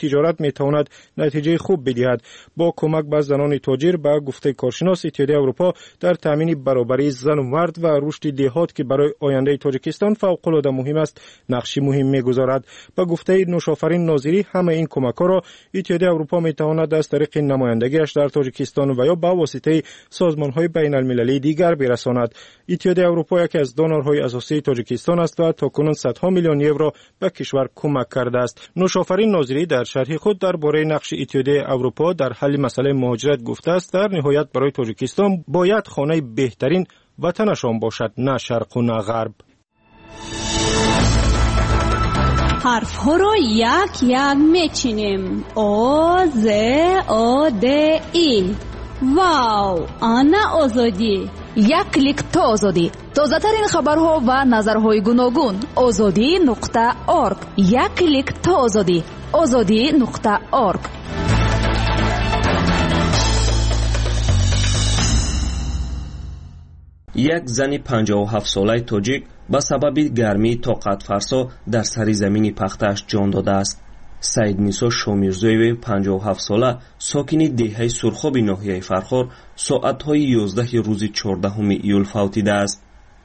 тиҷорат метавонад натиҷаи хуб бидиҳад. Бо кӯмак ба занони тоҷир, ба гуфтаи коршинос, Иттиҳодияи Аврупо дар таъмини баробарии зану мард ва рушди деҳот, ки барои ояндаи Тоҷикистон фавқулода муҳим аст, нақши муҳим мегузорад. Ба гуфтаи Нӯшофарин Нозирӣ, ҳамаи ин кӯмакҳоро Иттиҳодияи Аврупо метавонад аз тариқи намояндагиаш дар Тоҷикистон ва ё ба воситаи созмонҳои байналмилалии дигар бирасонад. Иттиҳодияи Аврупо яке аз донорҳои асосии Тоҷикистон аст ва то кунун садҳо миллион евро ба кишвар кӯмак кардааст. Нӯшофарин Нозирӣ дар шарҳи худ дар бораи нақши Иттиҳодияи Аврупо дар ҳалли масъалаи муҳоҷират гуфтааст, дар ниҳоят барои Тоҷикистон бояд хонаи беҳтарин ватанашон бошад, на шарқу на ғарб. Ҳарфҳоро як-як мечинем. О, З, О, Д, И. Вау! Ана Озодӣ! Як клик то Озодӣ. Тозатарин хабарҳо ва назарҳои гуногун. Озодӣ.орг. Як клик то Озодӣ. Озодӣ.орг. Як зани 57-солаи тоҷик ба сабаби гармии тоқатфарсо дар сари замини пахтааш ҷон додааст. Саиднисо Шомирзоеваи 57-сола, сокини деҳаи Сурхоби ноҳияи Фархор, соатҳои 11 рӯзи 14 июл фавтидааст.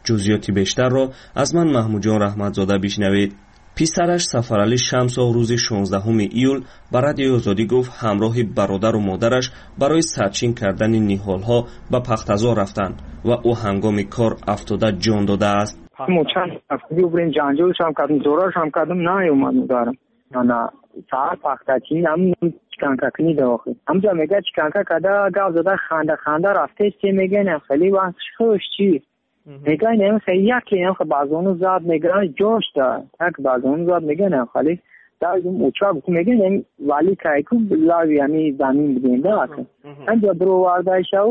Ҷузъиёти бештарро аз ман Маҳмудҷон Раҳматзода бишнавед. Писараш Сафаралӣ Шамсов рӯзи 16 июл ба Радиои Озодӣ гуфт, ҳамроҳи бародару модараш барои сарчин кардани ниҳолҳо ба пахтазор рафтанд ва ӯ ҳангоми кор афтода ҷон додааст. Мо чанд ҳафта бирем, ҷанҷолшам кардем, зорашам кардем, наёмад модарам. Ана саҳар пахтачин, ҳам чиканкакунӣ да охир. Ҳамҷа мега чиканка када, гап зада, ханда ханда рафтест, че мега, не хеле вақт хуш чи. Мега не хеле яке не хеле базону зад, мега ҷош да, як базону зад, мега не хеле дар уча гуфт, мега не вали кайку лави ами замин бидем да ака. Ҳамҷа бировардаишав,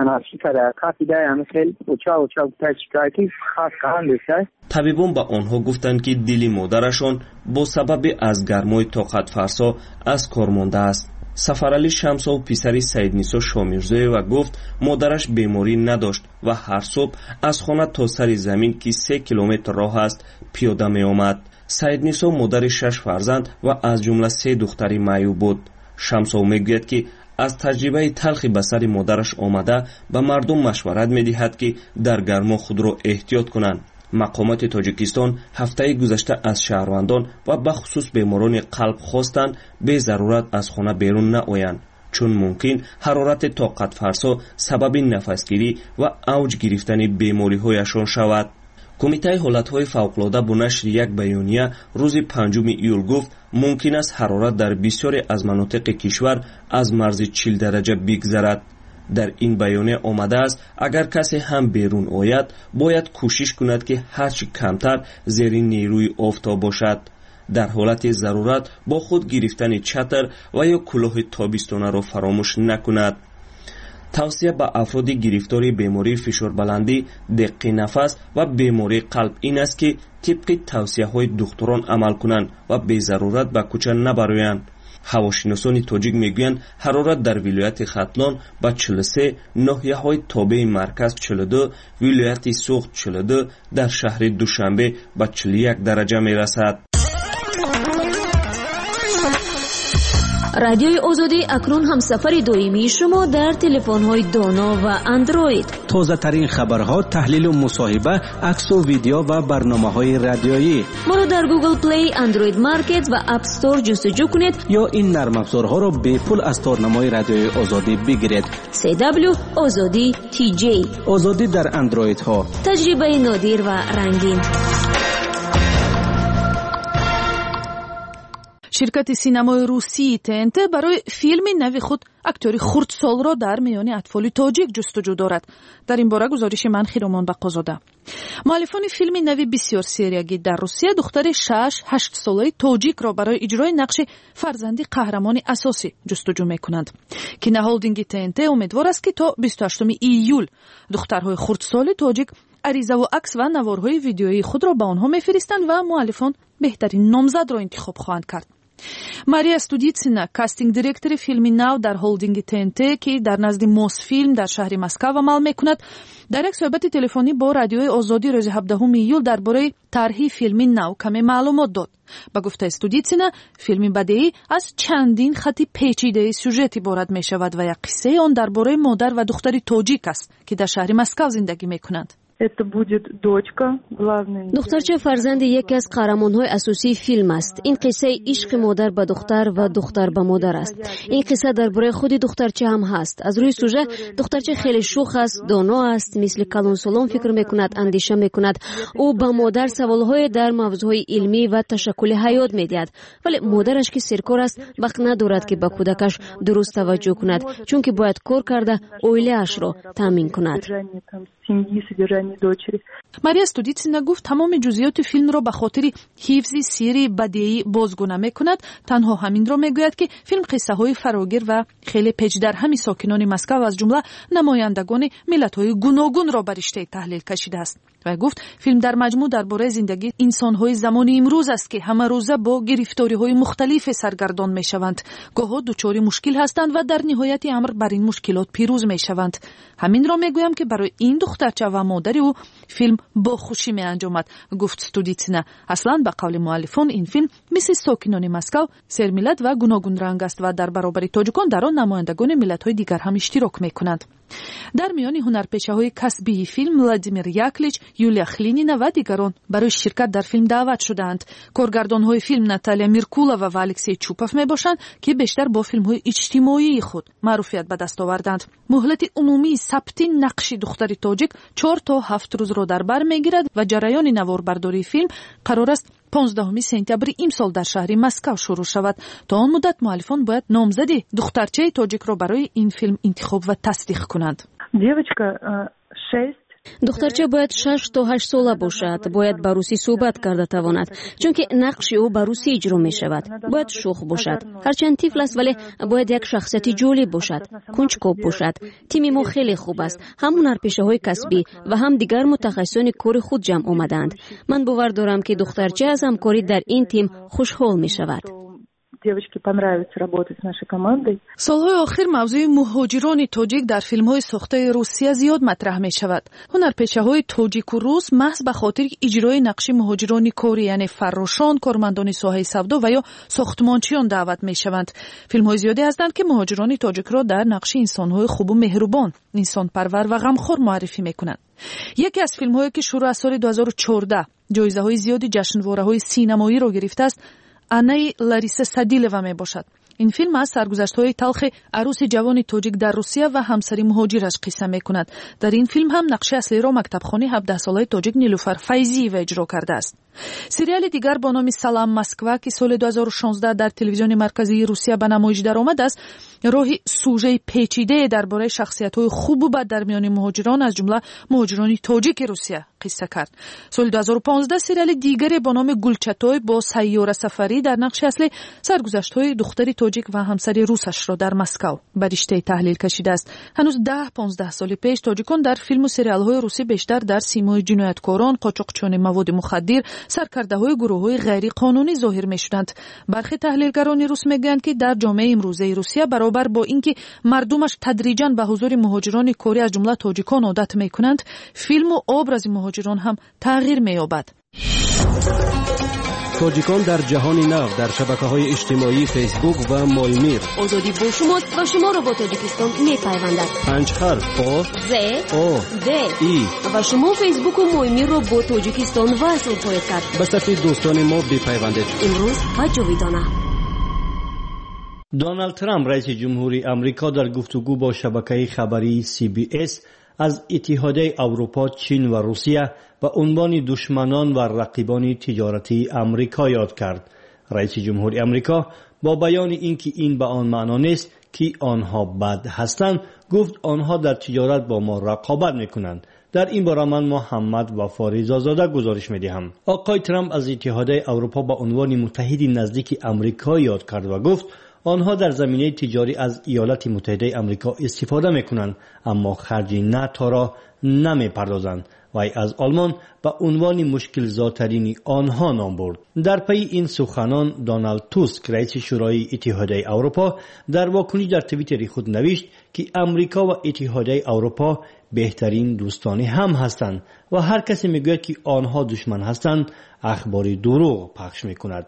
ана чӣ када, кафида ами хел уча уча гуфта чикай ки хас кандеса. Табибон ба онҳо гуфтанд, ки дили модарашон бо сабаби аз гармои тоқатфарсо аз кор мондааст. Сафаралӣ Шамсов, писари Саиднисо Шомирзоева, гуфт, модараш беморӣ надошт ва ҳар субҳ аз хона то сари замин, ки 3 километр роҳ аст, пиёда меомад. Саиднисо модари 6 фарзанд ва аз ҷумла 3 духтари маъюб буд. Шамсов мегӯяд, ки аз таҷрибаи талхи ба сари модараш омада, ба мардум машварат медиҳад, ки дар гармо худро эҳтиёт кунанд. Мақомоти Тоҷикистон ҳафтаи гузашта аз шаҳрвандон ва бахусус беморони қалб хостанд безарурат аз хона берун наоянд, чун мумкин ҳарорати тоқатфарсо сабаби нафасгирӣ ва авҷ гирифтани бемориҳояшон шавад. Кумитаи ҳолатҳои фавқулода бо нашри як баёния рӯзи 5 июл гуфт, мумкин аст ҳарорат дар бисёре аз манотиқи кишвар аз марзи 40 дараҷа бигзарад. Дар ин баёния омадааст, агар касе ҳам берун ояд, бояд кӯшиш кунад, ки ҳарчи камтар зери нерӯи офтоб бошад. Дар ҳолати зарурат бо худ гирифтани чатр ва ё кӯлоҳи тобистонаро фаромӯш накунад. Тавсия ба афроди гирифтори бемории фишорбаландӣ, деққи нафас ва бемории қалб ин аст, ки тибқи тавсияҳои духтурон амал кунанд ва безарурат ба кӯча набароянд. Ҳавошиносони тоҷик мегӯянд, ҳарорат дар вилояти Хатлон ба 43, ноҳияҳои тобеи марказ 42, вилояти Суғд 42, дар шаҳри Душанбе ба 41 дараҷа мерасад. Радиои Озодӣ акнун ҳамсафари доимии шумо дар телефонҳои доно ва андроид. Тозатарин хабарҳо, таҳлилу мусоҳиба, аксу видео ва барномаҳои радиоӣ. Моро дар Google Play, Android Market ва App Store ҷустуҷӯ кунед ё ин нармафзорҳоро бепул аз торнамои Радиои Озодӣ бигиред. CW Озодӣ TJ. Озодӣ дар андроидҳо. Таҷрибаи нодир ва рангин. Ширкати синамои русии ТНТ барои филми нави худ актёри хурдсолро дар миёни атфоли тоҷик ҷустуҷӯ дорад. Дар ин бора гузориши ман Хиромон Бақозода. Муаллифони филми нави бисёр сериягӣ дар Русия духтари 6-8 солаи тоҷикро барои иҷрои нақши фарзанди қаҳрамони асосӣ ҷустуҷӯ мекунанд. Кинохолдинги ТНТ умедвор аст, ки то 28 июл духтарҳои хурдсоли тоҷик аризаву акс ва наворҳои видеоии худро ба онҳо мефиристанд ва муаллифон беҳтарин номзадро интихоб хоҳанд кард. Мария Студитсина, кастинг-директори филми нав дар холдинги ТНТ, ки дар назди Мосфилм дар шаҳри Москав амал мекунад, дар як суҳбати телефонӣ бо Радиои Озодӣ рӯзи 17 июл дар бораи тарҳи филми нав каме маълумот дод. Ба гуфтаи Студитсина, филми бадеӣ аз чандин хати печидаи сюжет иборат мешавад ва як қиссаи он дар бораи модар ва духтари тоҷик аст, ки дар шаҳри Москав зиндагӣ мекунанд. Это будет дочка главной. Духтарча фарзанди яке аз қаҳрамонҳои асосии филм аст. Ин қиссаи ишқи модар ба духтар ва духтар ба модар аст. Ин қисса дар бораи худи духтарча ҳам ҳаст. Аз рӯи сюжет, духтарча хеле шӯх аст, доно аст, мисли калонсолон фикр мекунад, андеша мекунад. Ӯ ба модар саволҳое дар мавзӯъҳои илмӣ ва ташаккули ҳаёт медиҳад, вале модараш, ки серкор аст, вақт надорад, ки ба кӯдакаш дуруст таваҷҷӯҳ кунад, чунки бояд кор карда оилаашро таъмин кунад. Семьи, содержание дочери. Мария Студитсина гуфт, тамоми ҷузъиёти филмро ба хотири ҳифзи сирри бадеӣ бозгӯ намекунад. Танҳо ҳаминро мегӯяд, ки филм қиссаҳои фарогир ва хеле печдарҳами сокинони Москав, аз ҷумла намояндагони миллатҳои гуногунро ба риштаи таҳлил кашидааст. Вай гуфт, филм дар маҷмӯъ дар бораи зиндагии инсонҳои замони имрӯз аст, ки ҳамарӯза бо гирифториҳои мухталифе саргардон мешаванд, гоҳо дучори мушкил ҳастанд ва дар ниҳояти амр бар ин мушкилот пирӯз мешаванд. Ҳаминро мегӯям, ки барои ин духтарча ва модари ӯ филм бо хушӣ меанҷомад, гуфт Студитсина. Аслан, ба қавли муаллифон, ин филм мисли сокинони Москав сермиллат ва гуногунранг аст ва дар баробари тоҷикон дар он намояндагони миллатҳои дигар ҳам иштирок мекунанд. Дар миёни ҳунарпешаҳои касбии филм Владимир Яклич, Юлия Хлинина ва дигарон барои ширкат дар филм даъват шудаанд. Коргардонҳои филм Наталия Миркулова ва Алексей Чупов мебошанд, ки бештар бо филмҳои иҷтимоии худ маъруфият ба даст оварданд. Муҳлати умумии сабти нақши духтари тоҷик 4 то 7 рӯзро дар бар мегирад ва ҷараёни наворбардории филм қарор аст 15 сентябри имсол дар шаҳри Москав шурӯъ шавад. То он муддат муаллифон бояд номзади духтарчаи тоҷикро барои ин филм интихоб ва тасдиқ кунанд. Девочка 6 Духтарча бояд 6 то 8 сола бошад, бояд ба русӣ суҳбат карда тавонад, чунки нақши ӯ ба русӣ иҷро мешавад. Бояд шӯх бошад, ҳарчанд тифл аст, вале бояд як шахсияти ҷолиб бошад, кунҷкоб бошад. Тими мо хеле хуб аст, ҳам ҳунарпешаҳои касбӣ ва ҳам дигар мутахассисони кори худ ҷамъ омадаанд. Ман бовар дорам, ки духтарча аз ҳамкорӣ дар ин тим хушҳол мешавад. Девочке понравится работать с нашей командой. Солҳои охир мавзӯи муҳоҷирони тоҷик дар филмҳои сохтаи Русия зиёд матраҳ мешавад. Ҳунарпешаҳои тоҷику рус маҳз ба хотири иҷрои нақши муҳоҷирони корӣ, яъне фаррошон, кормандони соҳаи савдо ва ё сохтмончиён даъват мешаванд. Филмҳои зиёде ҳастанд, ки муҳоҷирони тоҷикро дар нақши инсонҳои хубу меҳрубон, инсонпарвар ва ғамхор муаррифӣ мекунанд. Яке аз филмҳое, ки шурӯъ аз соли 2014 ҷоизаҳои зиёди ҷашнвораҳои синамоиро гирифтааст, Анаи Лариса Садилова мебошад. Ин филм аз саргузаштҳои талхи арӯси ҷавони тоҷик дар Русия ва ҳамсари муҳоҷираш қисса мекунад. Дар ин филм ҳам нақши аслиро мактабхони 17-солаи тоҷик Нилуфар Файзиева иҷро кардааст. Сериали дигар бо номи «Салам, Москва», ки соли 2016 дар телевизиони марказии Русия ба намоиш даромад, аст роҳи сужаи печидае дар бораи шахсиятҳои хубу бад дар миёни муҳоҷирон, аз ҷумла муҳоҷирони тоҷики Русия, қисса кард. Соли 2015 сериали дигаре бо номи «Гулчатой» бо Сайёра Сафарӣ дар нақши аслӣ саргузаштҳои духтари тоҷик ва ҳамсари русашро дар Москав ба риштаи таҳлил кашидааст. Ҳанӯз 10-15 соли пеш тоҷикон дар филму сериалҳои русӣ бештар дар симои ҷинояткорон, қочоқчиёни маводи мухаддир, саркардаҳои гурӯҳҳои ғайриқонунӣ зоҳир мешуданд. Бархе таҳлилгарони рус мегӯянд, ки дар ҷомеаи имрӯзаи Русия, баробар бо ин ки мардумаш тадриҷан ба ҳузури муҳоҷирони корӣ, аз ҷумла тоҷикон, одат мекунанд, филму образи муҳоҷирон ҳам тағйир меёбад. Тоҷикон дар ҷаҳони нав дар шабакаҳои иҷтимоии Фейсбук ва Моймир. Озодӣ бо шумост ва шуморо бо Тоҷикистон мепайвандад. Панҷ ҳарф: О, З, О, Д, И. Ва шумо Фейсбуку Моймирро бо Тоҷикистон васл хоҳед кард. Ба сафи дӯстони мо бипайвандед. Имрӯз ва ҷовидона. Доналд Трамп, раиси ҷумҳури Амрико, дар гуфтугӯ бо шабакаи хабарии CBS аз Иттиҳодияи Аврупо, Чин ва Русия ба унвони душманон ва рақибони тиҷоратии Амрико ёд кард. Раиси ҷумҳури Амрико бо баёни ин ки ин ба он маъно нест, ки онҳо бад ҳастанд, гуфт, онҳо дар тиҷорат бо мо рақобат мекунанд. Дар ин бора ман Муҳаммад Вафо Ризозода гузориш медиҳам. Оқои Трамп аз Иттиҳодияи Аврупо ба унвони муттаҳиди наздики Амрико ёд кард ва гуфт, онҳо дар заминаи тиҷорӣ аз Иёлати Муттаҳидаи Амрико истифода мекунанд, аммо харҷи НАТОро намепардозанд. Вай аз Олмон ба унвони мушкилзотарини онҳо ном бурд. Дар пайи ин суханон Доналд Туск, раиси Шӯрои Иттиҳодияи Аврупо, дар вокуниш дар Твиттери худ навишт, ки Амрико ва Иттиҳодияи Аврупо беҳтарин дӯстони ҳам ҳастанд ва ҳар касе мегӯяд, ки онҳо душман ҳастанд, ахбори дурӯғ пахш мекунад.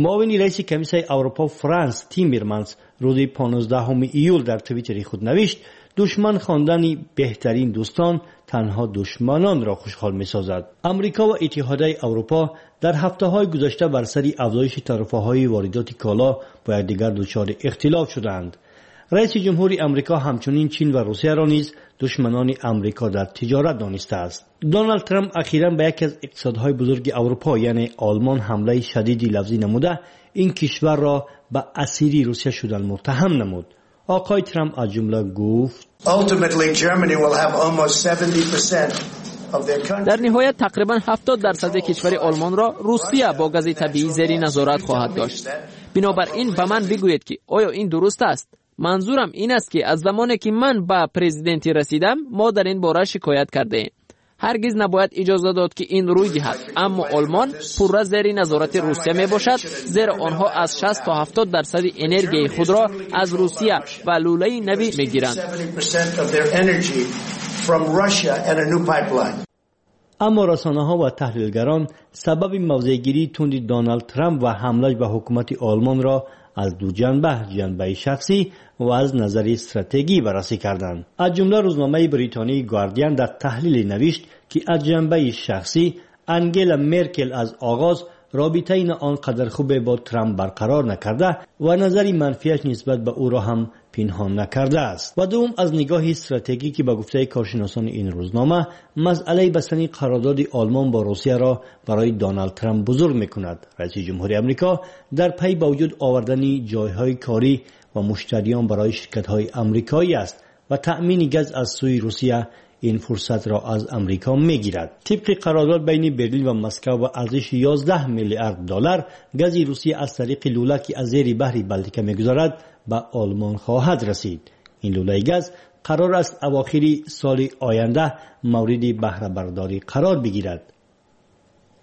Муовини раиси Комиссияи Аврупо Франс Тиммерманс рӯзи 15 июл дар Твиттери худ навишт: душман хондани беҳтарин дӯстон танҳо душманонро хушҳол месозад. Амрико ва Иттиҳодияи Аврупо дар ҳафтаҳои гузашта бар сари афзоиши тарифаҳои воридоти коло бо якдигар дучори ихтилоф шуданд. Раиси ҷумҳури Амрико ҳамчунин Чин ва Русияро низ душманони Амрико дар тиҷорат донистааст. Доналд Трамп ахиран ба яке аз иқтисодҳои бузурги Аврупо, яъне Олмон, ҳамлаи шадиди лафзӣ намуда, ин кишварро ба асири Русия шудан муттаҳам намуд. Оқои Трамп аз ҷумла гуфт: дар ниҳоят тақрибан 70% кишвари Олмонро Русия бо гази табиӣ зери назорат хоҳад дошт. Бинобар ин ба ман бигӯед, ки оё ин дуруст аст? Манзурам ин аст, ки аз замоне ки ман ба президентӣ расидам, мо дар ин бора шикоят кардаем. Ҳаргиз набояд иҷоза дод, ки ин рӯй диҳад, аммо Олмон пурра зери назорати Русия мебошад, зеро онҳо аз 60 то 70% энергияи худро аз Русия ва лӯлаи навӣ мегиранд. Аммо расонаҳо ва таҳлилгарон сабаби мавзеъгирии тунди Доналд Трамп ва ҳамлаш ба ҳукумати Олмонро аз ду ҷанба, ҷанбаи шахсӣ ва аз назари стратегӣ баррасӣ карданд. Аз ҷумла рӯзномаи бритонии Гардиан дар таҳлиле навишт, ки аз ҷанбаи шахсӣ Ангела Меркел аз оғоз робитаи на он қадар хубе бо Трамп барқарор накарда ва назари манфиаш нисбат ба ӯро ҳам пинҳон накардааст. Ва дуввум аз нигоҳи стратегӣ, ки ба гуфтаи коршиносони ин рӯзнома масъалаи бастани қарордоди Олмон бо Русияро барои Доналд Трамп бузург мекунад. Раиси ҷумҳури Амрико дар пай ба вуҷуд овардани ҷойҳои корӣ ва муштариён барои ширкатҳои амрикоӣ аст ва таъмини газ аз сӯи Русия ин фурсатро аз Амрико мегирад. Тибқи қарордод байни Берлин ва Москва ба арзиши 11 миллиард доллар гази Русия аз тариқи лӯла, ки аз зери баҳри Балтика мегузарад, ба Олмон хоҳад расид. Ин лӯлаи газ қарор аст авохири соли оянда мавриди баҳрабардорӣ қарор бигирад.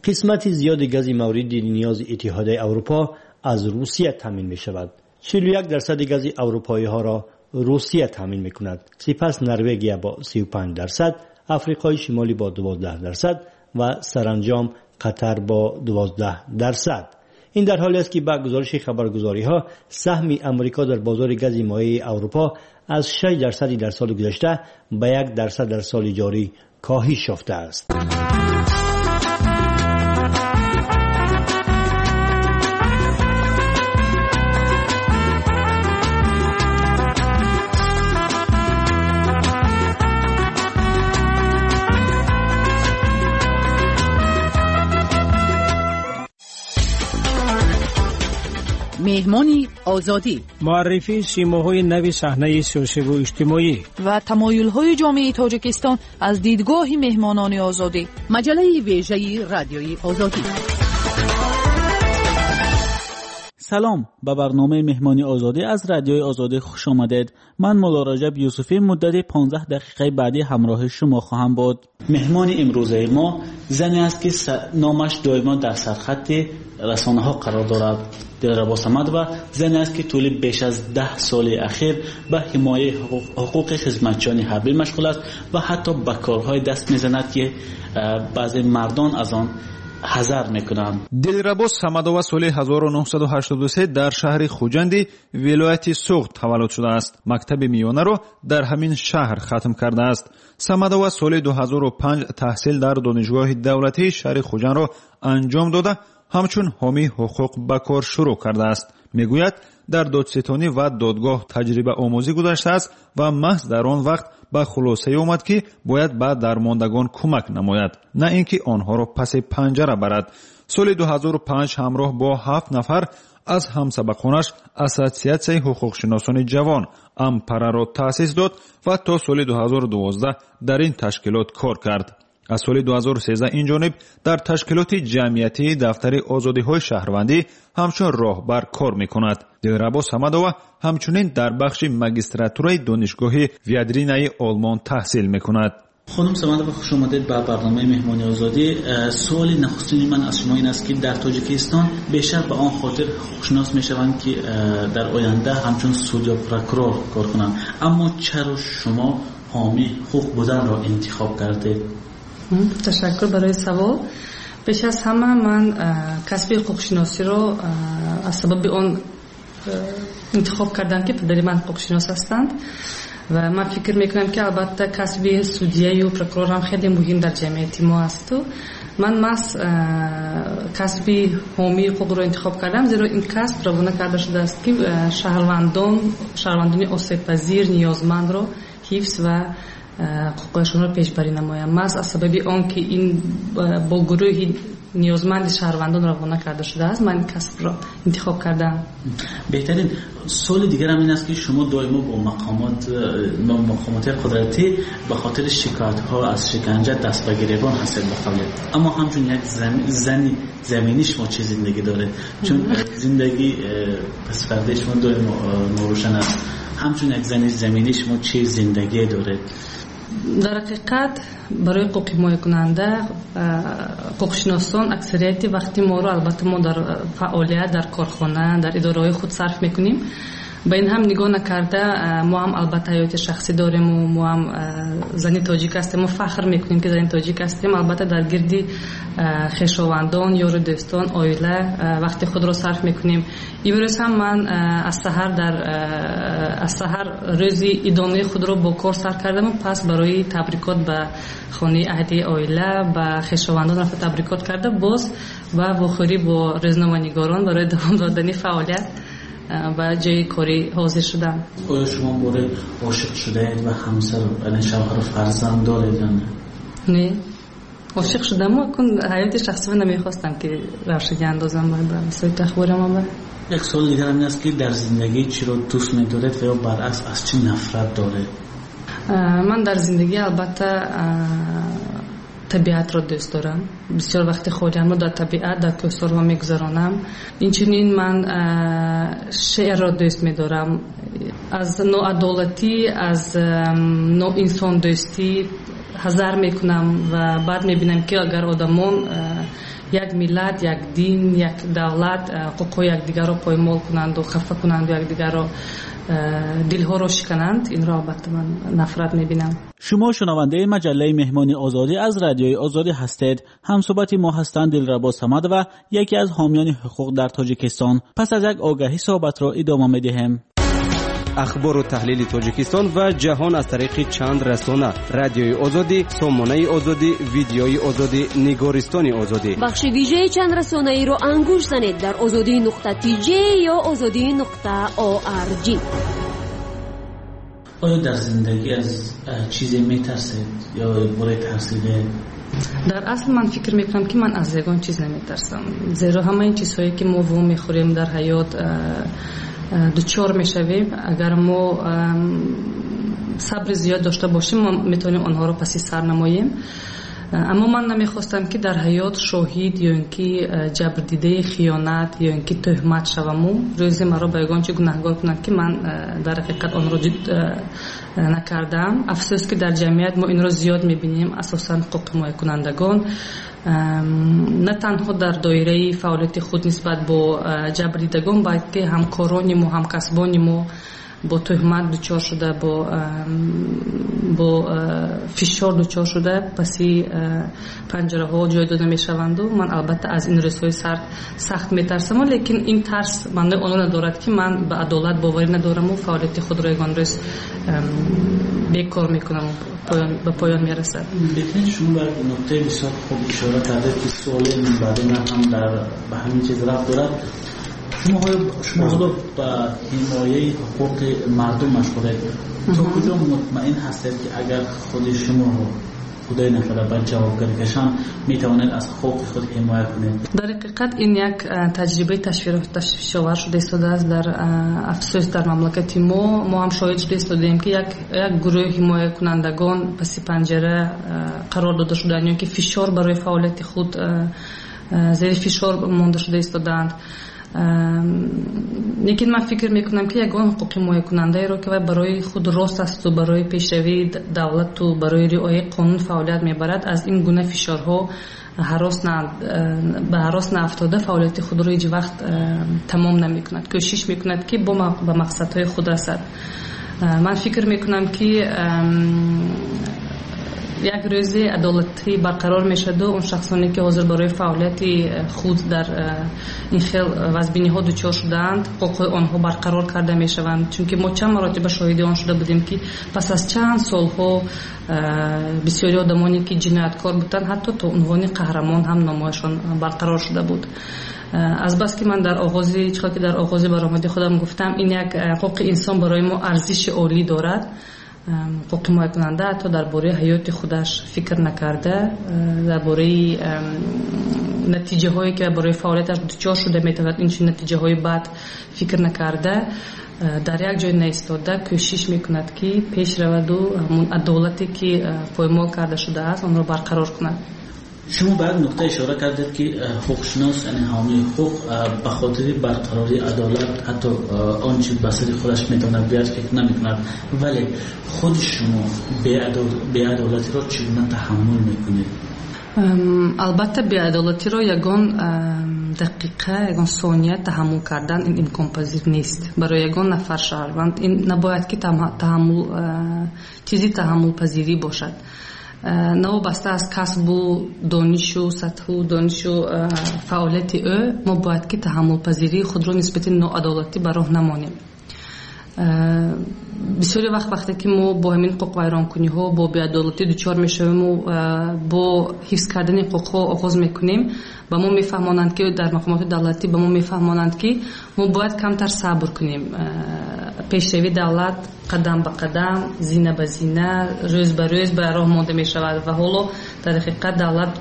Қисмати зиёди гази мавриди ниёзи Иттиҳодияи Аврупо аз Русия таъмин мешавад. 41% гази аврупоиҳоро Русия таъмин мекунад. Сипас Норвегия бо 35%, Африқои Шимолӣ бо 12% ва саранҷом Қатар бо 12%. Ин дар ҳоле аст, ки ба гузориши хабаргузориҳо саҳми Амрико дар бозори гази моеи Аврупо аз 6% дар соли гузашта ба 1% дар соли ҷорӣ коҳиш ёфтааст. Меҳмони Озодӣ, муаррифии симоҳои нави саҳнаи сиёсиву иҷтимоӣ ва тамоюлҳои ҷомеаи Тоҷикистон аз дидгоҳи меҳмонони Озодӣ. Маҷаллаи вежаи Радиои Озодӣ. Салом, ба барномаи Меҳмони Озодӣ аз Радиои Озодӣ хуш омадед. Ман Мулло Раҷаб Юсуфӣ муддати 15 дақиқаи баъдӣ ҳамроҳи шумо хоҳам буд. Меҳмони имрӯзаи мо зане аст, ки номаш доимо дар сархати расонаҳо қарор дорад. Дилрабо Самадова зане аст, ки тӯли беш аз 10 соли ахир ба ҳимояи ҳуқуқи хизматчиёни ҳарбӣ машғул аст ва ҳатто ба корҳое даст мезанад, ки баъзе мардон аз он ҳазар мекунанд. Дилрабо Самадова соли 1983 дар шаҳри Хуҷанди вилояти Суғд таваллуд шудааст. Мактаби миёнаро дар ҳамин шаҳр хатм кардааст. Самадова соли 2005 таҳсил дар Донишгоҳи давлатии шаҳри Хуҷандро анҷом дода, ҳамчун ҳомии ҳуқуқ ба кор шурӯъ кардааст. Мегӯяд, дар додситонӣ ва додгоҳ таҷрибаомӯзӣ гузаштааст ва маҳз дар он вақт ба хулосае омад, ки бояд ба дармондагон кӯмак намояд, на ин ки онҳоро паси панҷара барад. Соли 2005 ҳамроҳ бо 7 нафар аз ҳамсабақонаш Ассотсиатсияи ҳуқуқшиносони ҷавон Ампараро таъсис дод ва то соли 2012 дар ин ташкилот кор кард. Аз соли 2013 ин ҷониб дар ташкилоти ҷамъиятии Дафтари озодиҳои шаҳрвандӣ ҳамчун роҳбар кор мекунад. Дилрабо Самадова ҳамчунин дар бахши магистратураи Донишгоҳи Виадринаи Олмон таҳсил мекунад. Хонум Самадова, хуш омадед ба барномаи Меҳмони Озодӣ. Суоли нахустини ман аз шумо ин аст, ки дар Тоҷикистон бештар ба он хотир ҳуқуқшинос мешаванд, ки дар оянда ҳамчун суд ё прокурор кор кунанд. Аммо чаро шумо ҳомии ҳуқуқ буданро интихоб кардед? Ташаккур барои савол. Пеш аз ҳама ман касби ҳуқуқшиносиро аз сабаби он интихоб кардам, ки падари ман ҳуқуқшинос ҳастанд ва ман фикр мекунам, ки албатта касби судияю прокурор ҳам хеле муҳим дар ҷамъияти мо асту ман маҳз касби ҳомии ҳуқуқро интихоб кардам, зеро ин касб равона карда шудааст, ки шаҳрвандони осебпазир, ниёзмандро ҳифз ва ҳуқуқҳояшонро пешбарӣ намоям. Маҳз аз сабаби он ки ин бо гурӯҳи ниёзманди шаҳрвандон равона карда шудааст, ман ин касбро интихоб кардам. Беҳтарин. Суоли дигарам ин аст, ки шумо доимо бо мақомоти қудратӣ ба хотири шикоятҳо аз шиканҷа даст ба гиребон ҳастед, ба қавле. Аммо ҳамчун як зани заминӣ шумо чӣ зиндагӣ доред? Чун зиндагӣ пасфардаи шумо доимо норӯшан аст. Ҳамчун як зани заминӣ шумо чӣ зиндагӣ доред? Дар ҳақиқат барои ҳуқуқҳимоякунанда, ҳуқуқшиносон аксарияти вақти моро албатта мо дар фаъолият, дар корхона, дар идораҳои худ сарф мекунем. Ба ин ҳам нигоҳ накарда, мо ҳам албатта ҳаёти шахсӣ дорему мо ҳам зани тоҷик ҳастем, мо фахр мекунем, ки зани тоҷик ҳастем. Албатта дар гирди хешовандон, ёру дӯстон, оила вақти худро сарф мекунем. Имрӯз ҳам ман аз саҳар рӯзи идонаи худро бо кор сар кардаму пас барои табрикот ба хонаи аҳли оила, ба хешовандон рафта табрикот карда, боз ба вохӯрӣ бо рӯзноманигорон барои давом додани фаъолият ба ҷои корӣ ҳозир шудам. Оё шумо боре ошиқ шудаед ва ҳамсар, яъне шавҳару фарзанд доред ё не? Не, ошиқ шудаму акун ҳаёти шахсиро намехостам, ки равшанӣ андозам ба васоити ахборам. Як суоли дигарам ин аст, ки дар зиндагӣ чиро дӯст медоред ва ё баръакс аз чӣ нафрат доред? Ман дар зиндагӣ албатта табиатро дӯст дорам. Бисёр вақти холиамро дар табиат, дар кӯҳсорҳо мегузаронам. Инчунин ман шеърро дӯст медорам. Аз ноадолатӣ, аз ноинсондӯстӣ ҳазар мекунам ва баъд мебинам, ки агар одамон як миллат, як дин, як давлат ҳуқуқҳои якдигарро поймол кунанду хафа кунанду якдигарро дилҳоро шикананд, инро албатта ман нафрат мебинам. Шумо шунавандаи маҷаллаи Меҳмони Озодӣ аз Радиои Озодӣ ҳастед. Ҳамсӯҳбати мо ҳастанд Дилрабо Самадова, яке аз ҳомиёни ҳуқуқ дар Тоҷикистон. Пас аз як огаҳӣ суҳбатро идома медиҳем. Ахбору таҳлили Тоҷикистон ва ҷаҳон аз тариқи чанд расона: Радиои Озодӣ, Сомонаи Озодӣ, Видеои Озодӣ, Нигористони Озодӣ. Бахши вижаи чанд расонаиро ангуш занед дар озодӣ.tj ё озодӣ.org. Оё дар зиндагӣ аз чизе метарсед ё бораи тарсидед? Дар асл ман фикр мекунам, ки ман аз ягон чиз наметарсам, зеро ҳамаи чизҳое, ки мо во мехӯрем дар ҳаёт, дучор мешавем, агар мо сабри зиёд дошта бошем, мо метавонем онҳоро паси сар намоем. Аммо ман намехостам, ки дар ҳаёт шоҳид ё ин ки ҷабрдидаи хиёнат ё ин ки тӯҳмат шаваму рӯзе маро ба ягон чи гунаҳгор кунанд, ки ман дар ҳақиқат онро накардаам. Афсӯс, ки дар ҷамъият мо инро зиёд мебинем, асосан ҳуқуқҳимоякунандагон на танҳо дар доираи фаъолияти худ нисбат бо ҷабрдидагон, балки ҳамкорони мо, ҳамкасбони мо бо тӯҳмат дучор шуда, бо фишор дучор шуда, паси панҷараҳо ҷой дода мешаванду ман албатта аз ин рӯзҳои сард сахт метарсам, лекин ин тарс маънои онро надорад, ки ман ба адолат боварӣ надораму фаъолияти худро ягон рӯз бекор мекунам, ба поён мерасад. Беҳтарин. Шумо ба нуктаи бисёр хуб ишора кардед, ки суоли баъди ман ҳам ба ҳамин чиз рабт дорад. Шумо ҳоло ба ҳимояи ҳуқуқи мардум машғулед. То куҷо мутмаин ҳастед, ки агар худи шуморо худои накарда ба ҷавобгарӣ кашанд, метавонед аз ҳуқуқи худ ҳимоя кунед? Дар ҳақиқат ин як таҷрибаи ташвишовар шуда истодааст дар афсӯс дар мамлакати мо. Мо ҳам шоҳид шуда истодаем, ки як гурӯҳи ҳимоякунандагон паси панҷара қарор дода шудаанд ё ки фишор барои фаъолияти худ зери фишор монда шуда истодаанд. Лекин ман фикр мекунам, ки ягон ҳуқуқҳимоякунандаеро, ки вай барои худ рост асту барои пешравии давлату барои риояи қонун фаъолият мебарад, аз ин гуна фишорҳо ба ҳарос наафтода фаъолияти худро ҳеҷ вақт тамом намекунад, кӯшиш мекунад, ки ба мақсадҳои худ расад. Ман фикр мекунам, ки як рӯзе адолатӣ барқарор мешаваду он шахсоне, ки ҳозир барои фаъолияти худ дар ин хел вазбиниҳо дучор шудаанд, ҳуқуқҳои онҳо барқарор карда мешаванд. Чунки мо чанд маротиба шоҳиди он шуда будем, ки пас аз чанд солҳо бисёри одамоне, ки ҷинояткор буданд, ҳатто то унвони қаҳрамон ҳам номояшон барқарор шуда буд. Азбаски ман дар оғози чӣ ки дар оғози баромади худам гуфтам, ин як ҳуқуқи инсон барои мо арзиши олӣ дорад. Ҳуқуқҳимоякунанда ҳатто дар бораи ҳаёти худаш фикр накарда, дар бораи натиҷаҳое, ки барои фаъолияташ дучор шуда метавонад, инчунин натиҷаҳои бад фикр накарда, дар як ҷой наистода кӯшиш мекунад, ки пеш раваду ҳамун адолате, ки поймол карда шудааст, онро барқарор кунад. Шумо ба як нуқта ишора кардед, ки ҳуқуқшинос, яъне ҳомии ҳуқуқ, ба хотири барқарории адолат ҳатто он чи ба сари худаш метавонад биёяд, фикр намекунад. Вале худи шумо беадолатиро чӣ гуна таҳаммул мекунед? Албатта, беадолатиро ягон дақиқа, ягон сония таҳаммул кардан ин имконпазир нест барои ягон нафар шаҳрванд. Ин набояд ки таҳаммул чизи таҳаммулпазирӣ бошад, новобаста аз касбу донишу сатҳу донишу фаъолияти ӯ. Мо бояд ки таҳаммулпазирии худро нисбати ноадолатӣ ба роҳ намонем. Бисёри вақт, вақте ки мо бо ҳамин ҳуқуқвайронкуниҳо, бо беадолатӣ дучор мешавему бо ҳифз кардани ҳуқуқҳо оғоз мекунем, ба мо мефаҳмонанд, ки дар мақомоти давлатӣ ба мо мефаҳмонанд, ки мо бояд камтар сабр кунем, пешравии давлат қадам ба қадам, зина ба зина, рӯз ба рӯз ба роҳ монда мешавад ва ҳоло дар ҳақиқат давлат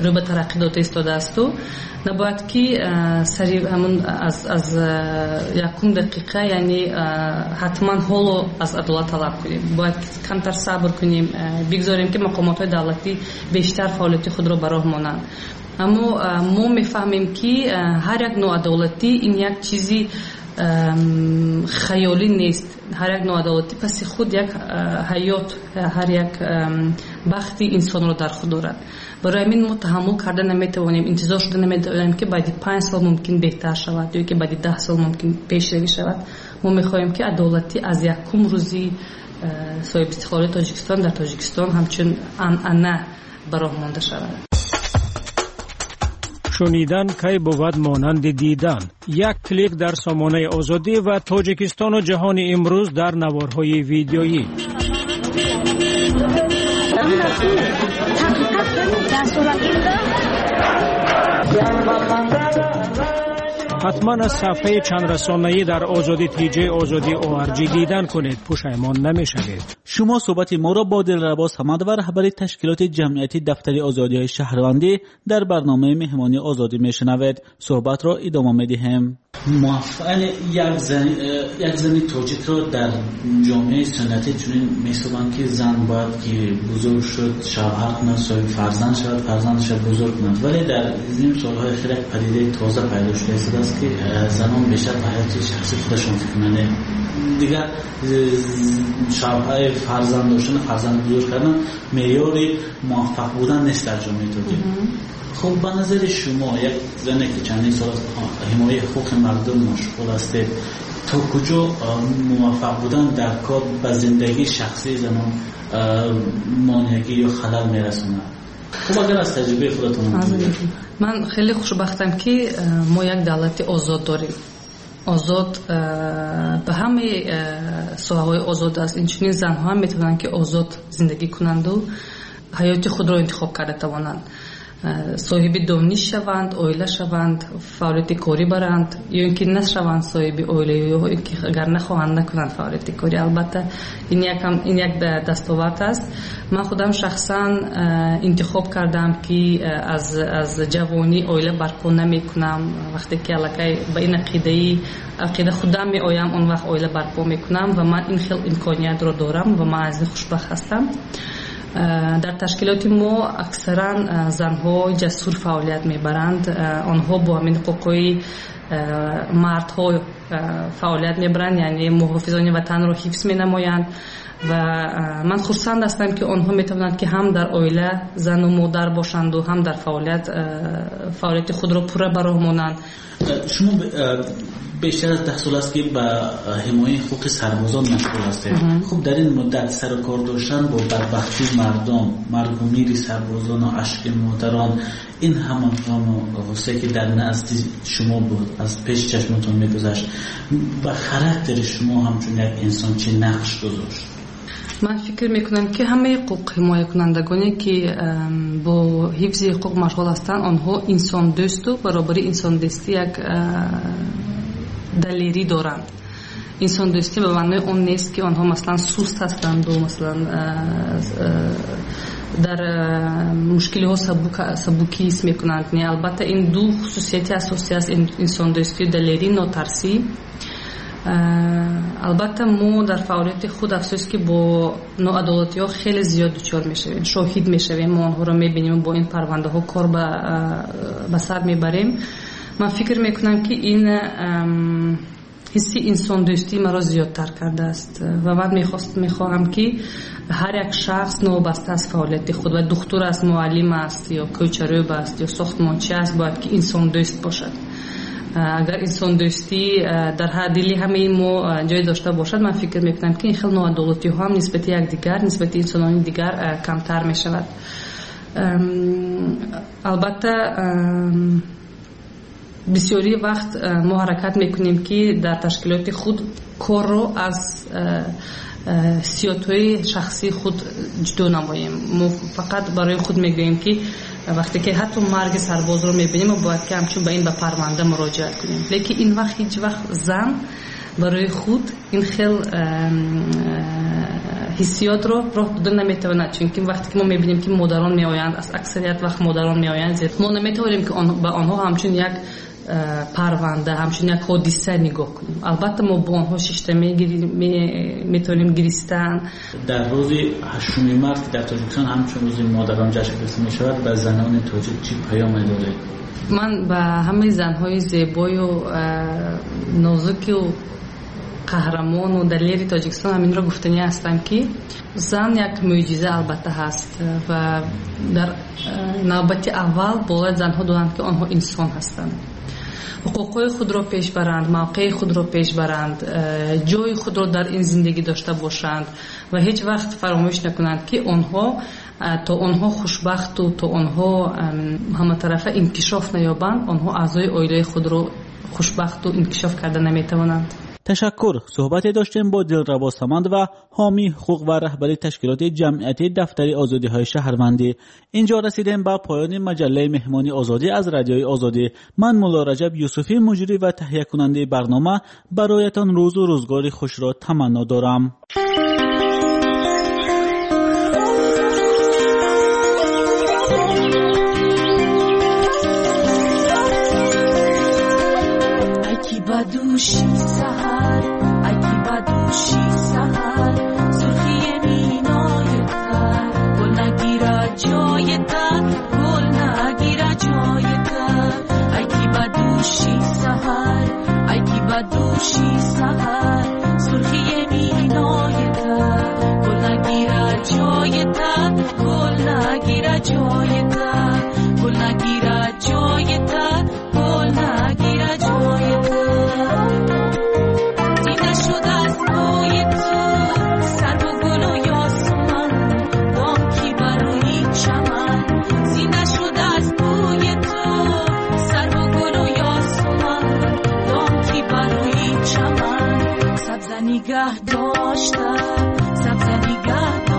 рӯ ба тараққӣ дода истодаасту набояд ки сари ҳамун аз якум дақиқа, яъне ҳатман ҳоло аз адолат талаб кунем. Бояд камтар сабр кунем, бигзорем, ки мақомотҳои давлатӣ бештар фаъолияти худро ба роҳ монанд. Аммо мо мефаҳмем, ки ҳар як ноадолатӣ ин як чизи хаёлӣ нест. Ҳар як ноадолатӣ паси худ як ҳаёт, ҳар як бахти инсонро дар худ дорад. Барои ҳамин мо таҳаммул карда наметавонем, интизор шуда наметавонем, ки баъди 5 сол мумкин беҳтар шавад ё ки баъди 10 сол мумкин пешравӣ шавад. Мо мехоҳем, ки адолатӣ аз якум рӯзи соҳибистиқлолии Тоҷикистон дар Тоҷикистон ҳамчун анъана ба роҳ монда шавад. Шунидан кай бувад монанди дидан? Як клик дар сомонаи Озодӣ ва Тоҷикистону ҷаҳони имрӯз дар наворҳои видеоӣ. Ҳатман аз саҳфаи чандрасонаӣ дар Озодӣ тж Озодӣ org дидан кунед, пушаймон намешавед. Шумо суҳбати моро бо Дилрабо Самадова, раҳбари ташкилоти ҷамъияти Дафтари озодиҳои шаҳрвандӣ, дар барномаи Меҳмони Озодӣ мешунавед. Суҳбатро идома медиҳем. Як зани тоҷикро дар ҷомеаи суннатӣ чунин меҳисобанд, ки зан бояд ки бузург шуд, шавҳар кунад, соҳиби фарзанд шавад, фарзандашро бузург кунад. Вале дар ин солҳои охир як падидаи тоза пайдо шуда истодааст, ки занон бештар ба ҳаёти шахсии худашон фикр мекунанд. Дигар шавҳари фарзанд доштан, фарзанд бузург кардан меъёри муваффақ будан нест дар ҷомеаи тоҷик. Хуб, ба назари шумо, як зане ки чандин сол аст ҳимояи ҳуқуқи мардум машғул ҳастед, то куҷо муваффақ будан дар кор ба зиндагии шахсии занон монеагӣ ё халал мерасонад? Хуб, агар аз таҷрибаи худатон. Ман хеле хушбахтам, ки мо як давлати озод дорем. Озод ба ҳамаи соҳаҳои озод аст. Инчунин занҳо ҳам метавонанд, ки озод зиндагӣ кунанду ҳаёти худро интихоб карда тавонанд, соҳиби дониш шаванд, оила шаванд, фаъолияти корӣ баранд ё ин ки нашаванд соҳиби оила, ё ин ки агар нахоҳанд, накунанд фаъолияти корӣ. Албатта, ин як дастовард аст. Ман худам шахсан интихоб кардам, ки аз ҷавонӣ оила барпо намекунам. Вақте ки аллакай ба ин ақида худам меоям, он вақт оила барпо мекунам ва ман ин хел имкониятро дорам ва ман аз ин хушбахт ҳастам. Дар ташкилоти мо аксаран занҳо ҷасур фаъолият мебаранд. Онҳо бо ҳамин ҳуқуқҳои мардҳо фаъолият мебаранд, яъне муҳофизони ватанро ҳифз менамоянд. Ва ман хурсанд ҳастам, ки онҳо метавонанд, ки ҳам дар оила зану модар бошанду, ҳам дар фаъолияти худро пурра ба роҳ монанд. Шумо бештар аз 10 сол аст, ки ба ҳимояи ҳуқуқи сарбозон машғул ҳастед. Хуб, дар ин муддат сару кор доштан бо бадбахтии мардум, маргу мири сарбозону ашки модарон, ин ҳама ғаму ғуссае, ки дар назди шумо буд, аз пеши чашматон мегузашт, ба характери шумо ҳамчун як инсон чӣ нақш гузошт? Ман фикр мекунам, ки ҳамаи ҳуқуқ ҳимоякунандагоне, ки бо ҳифзи ҳуқуқ машғул ҳастанд, онҳо инсондӯсту баробари инсондӯстӣ як далерӣ доранд. Инсондӯстӣ ба маънои он нест, ки онҳо, масалан, суст ҳастанду, масалан, дар мушкилиҳо сабукӣ ҳис мекунанд. Не, албатта, ин ду хусусияти асосӣ аст: инсондӯстӣ, далерӣ, нотарсӣ. Албатта, мо дар фаъолияти худ, афсӯс, ки бо ноадолатиҳо хеле зиёд дучор мешавем, шоҳид мешавем, мо онҳоро мебинем, бо ин парвандаҳо кор ба сар мебарем. Ман фикр мекунам, ки ин ҳисси инсондӯстӣ маро зиёдтар кардааст ва ман мехоҳам, ки ҳар як шахс, новобаста аз фаъолияти худ, ва духтур аст, муаллим аст ё кӯчарӯб аст ё сохтмончи аст, бояд ки инсондӯст бошад. Агар инсондӯстӣ дар дили ҳамаи мо ҷой дошта бошад, ман фикр мекунам, ки ин хел ноадолатиҳо ҳам нисбати якдигар, нисбати инсонони дигар камтар мешавад. Албатта, бисёри вақт мо ҳаракат мекунем, ки дар ташкилоти худ корро аз ҳиссиётҳои шахсии худ ҷудо намоем. Мо фақат барои худ мегӯем, ки вақте ки ҳатто марги сарбозро мебинем, мо бояд ки ҳамчун ба ин ба парванда муроҷиат кунем. Лекин ин вақт ҳеҷ вақт зан барои худ ин хел ҳиссиётро роҳ дода наметавонад, чунки вақте ки мо мебинем, ки модарон меоянд, аз аксарият вақт модарон меоянд, мо наметавонем, ки ба онҳо ҳамчун як парванда, ҳамчун як ҳодиса нигоҳ кунем. Албатта, мо бо онҳо шишта метавонем гиристан. Дар рӯзи 8 март, ки дар Тоҷикистон ҳамчун рӯзи модарон ҷашн гирифта мешавад, ба занони тоҷик чӣ паёме доред? Ман ба ҳамаи занҳои зебою нозуку қаҳрамону далери Тоҷикистон ҳаминро гуфтанӣ ҳастам, ки зан як мӯъҷиза албатта ҳаст ва дар навбати аввал бояд занҳо донанд, ки онҳо инсон ҳастанд, ҳуқуқҳои худро пеш баранд, мавқеи худро пеш баранд, ҷои худро дар ин зиндагӣ дошта бошанд ва ҳеҷ вақт фаромӯш накунанд, ки онҳо то онҳо хушбахту то онҳо ҳаматарафа инкишоф наёбанд, онҳо аъзои оилаи худро хушбахту инкишоф карда наметавонанд. Ташаккур. Суҳбате доштем бо Дилрабо Самадова, ҳомии ҳуқуқ ва раҳбари ташкилоти ҷамъиятии Дафтари озодиҳои шаҳрвандӣ. Инҷо расидем ба поёни маҷаллаи Меҳмони Озодӣ аз Радиои Озодӣ. Ман Мулло Раҷаб Юсуфӣ, муҷрӣ ва таҳиякунандаи барнома, бароятон рӯзу рӯзгори хушро таманно дорам. Ба дӯши саҳар, ай ки ба дӯши саҳар, сурхии минои тар, гул нагирад ҷои тар, гул нагирад ҷои тар. Ай ки ба дӯши саҳар, ай ки ба дӯши саҳар, сурхии минои тар, гул нагирад ҷои тар, гул нагирад ҷои тар, гул нагирад ҷои тар, гул нагирад ҷои тар. Дида шуд аз бӯи ту сарву гулу ёсуман, бонки бар рӯи чаман. Зинда шуд аз бӯи ту сарву гулу ёсуман, бонки бар рӯи чаман. Сабза нигаҳ дошта, сабза нигаҳ.